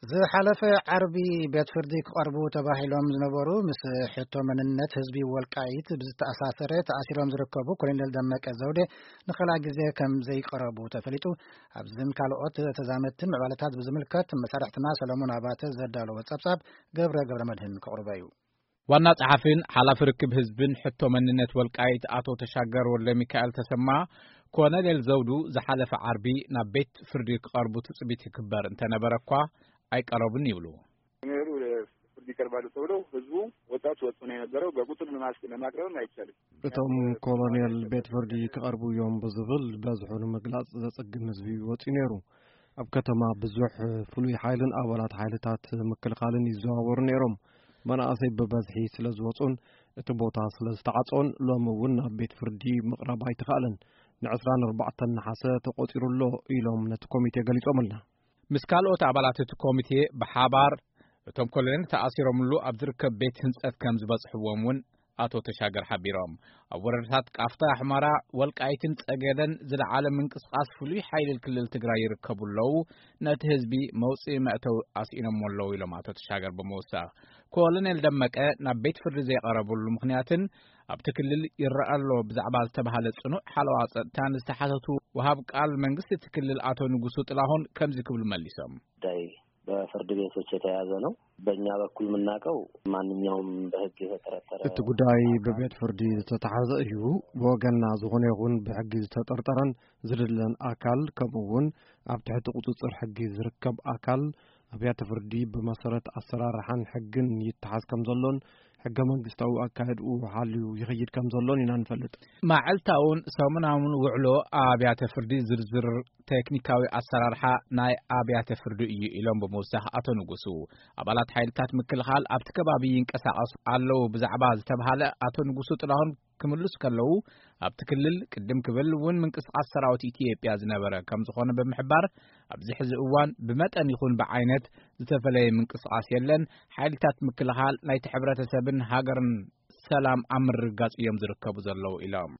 ዝሓለፈ ዓርቢ ቤት ፍርዲ ክቐርቡ ተባሂሎም ዝነበሩ ምስ ሕቶ መንነት ህዝቢ ወልቃይት ብዝተኣሳሰረ ተኣሲሮም ዝርከቡ ኮሎኔል ደመቀ ዘውዴ ንኻልኣይ ግዜ ከም ዘይቀረቡ ተፈሊጡ። ኣብዝን ካልኦት ተዛመድትን ምዕባለታት ብዝምልከት መሳርሕትና ሰለሞን ኣባተ ዘዳለወ ጸብጻብ ገብረ ገብረ መድህን ከቕርቦ እዩ። ዋና ጸሓፊን ሓላፊ ርክብ ህዝብን ሕቶ መንነት ወልቃይት ኣቶ ተሻገር ወልደ ሚካኤል ተሰማ፣ ኮሎኔል ዘውዱ ዝሓለፈ ዓርቢ ናብ ቤት ፍርዲ ክቐርቡ ትጽቢት ይግበር እንተነበረ እኳ ኣይቀረቡን ይብሉ። ሜሩ ፍርድ ይቀርባሉ ተብሎ ህዝቡ ወጣት ወጥቶ ነው የነበረው። በቁጥር ለማስ- ለማቅረብም አይቻልም። እቶም ኮሎኔል ቤት ፍርዲ ክቐርቡ እዮም ብዝብል በዝሑ ንምግላጽ ዘጸግም ህዝቢ ወጺኡ ነይሩ። ኣብ ከተማ ብዙሕ ፍሉይ ሓይልን ኣባላት ሓይልታት ምክልኻልን ይዘዋወሩ ነይሮም። መናእሰይ ብበዝሒ ስለ ዝወጹን እቲ ቦታ ስለ ዝተዓጾን ሎሚ እውን ናብ ቤት ፍርዲ ምቕራብ ኣይተኻእለን። ንዕስራን ኣርባዕተን ነሓሰ ተቖጺሩ ኣሎ ኢሎም ነቲ ኮሚቴ ገሊጾምልና። ምስ ካልኦት ኣባላት እቲ ኮሚቴ ብሓባር እቶም ኮሎኔል ተኣሲሮምሉ ኣብ ዝርከብ ቤት ህንጸት ከም ዝበጽሕዎም እውን ኣቶ ተሻገር ሓቢሮም። ኣብ ወረዳታት ቃፍታ፣ ኣሕመራ፣ ወልቃይትን ጸገደን ዝለዓለ ምንቅስቓስ ፍሉይ ሓይሊ ክልል ትግራይ ይርከቡ ኣለዉ። ነቲ ህዝቢ መውጽኢ መእተዊ ኣስኢኖሞ ኣለዉ ኢሎም ኣቶ ተሻገር ብምውሳኽ። ኮሎኔል ደመቀ ናብ ቤት ፍርዲ ዘይቐረብሉ ምኽንያትን ኣብቲ ክልል ይረኣ ኣሎ ብዛዕባ ዝተባህለ ጽኑዕ ሓለዋ ጸጥታን ዝተሓተቱ ወሃብ ቃል መንግስቲ እቲ ክልል ኣቶ ንጉሱ ጥላሁን ከምዚ ክብሉ መሊሶም። ጉዳይ በፍርድ ቤቶች የተያዘ ነው። በእኛ በኩል የምናውቀው ማንኛውም በህግ የተጠረጠረ እቲ ጉዳይ ብቤት ፍርዲ ዝተታሓዘ እዩ። ብወገንና ዝኾነ ይኹን ብሕጊ ዝተጠርጠረን ዝድለን ኣካል ከምኡ እውን ኣብ ትሕቲ ቁፅፅር ሕጊ ዝርከብ ኣካል ኣብያተ ፍርዲ ብመሰረት ኣሰራርሓን ሕግን ይተሓዝ ከም ዘሎን ሕገ መንግስታዊ ኣካየድኡ ሓልዩ ይኸይድ ከም ዘሎን ኢና ንፈልጥ። ማዕልታውን ሰሙናውን ውዕሎ ኣብያተ ፍርዲ ዝርዝር ቴክኒካዊ ኣሰራርሓ ናይ ኣብያተ ፍርዲ እዩ ኢሎም ብምውሳኽ ኣቶ ንጉሱ፣ ኣባላት ሓይልታት ምክልኻል ኣብቲ ከባቢ ይንቀሳቐሱ ኣለዉ ብዛዕባ ዝተብሃለ ኣቶ ንጉሱ ጥላሁን ክምልሱ ከለዉ፣ ኣብቲ ክልል ቅድም ክብል እውን ምንቅስቓስ ሰራዊት ኢትዮጵያ ዝነበረ ከም ዝኾነ ብምሕባር፣ ኣብዚ ሕዚ እዋን ብመጠን ይኹን ብዓይነት ዝተፈለየ ምንቅስቓስ የለን፣ ሓይልታት ምክልኻል ናይቲ ሕብረተሰብን ሃገርን ሰላም ኣብ ምርግጋጽ እዮም ዝርከቡ ዘለዉ ኢሎም።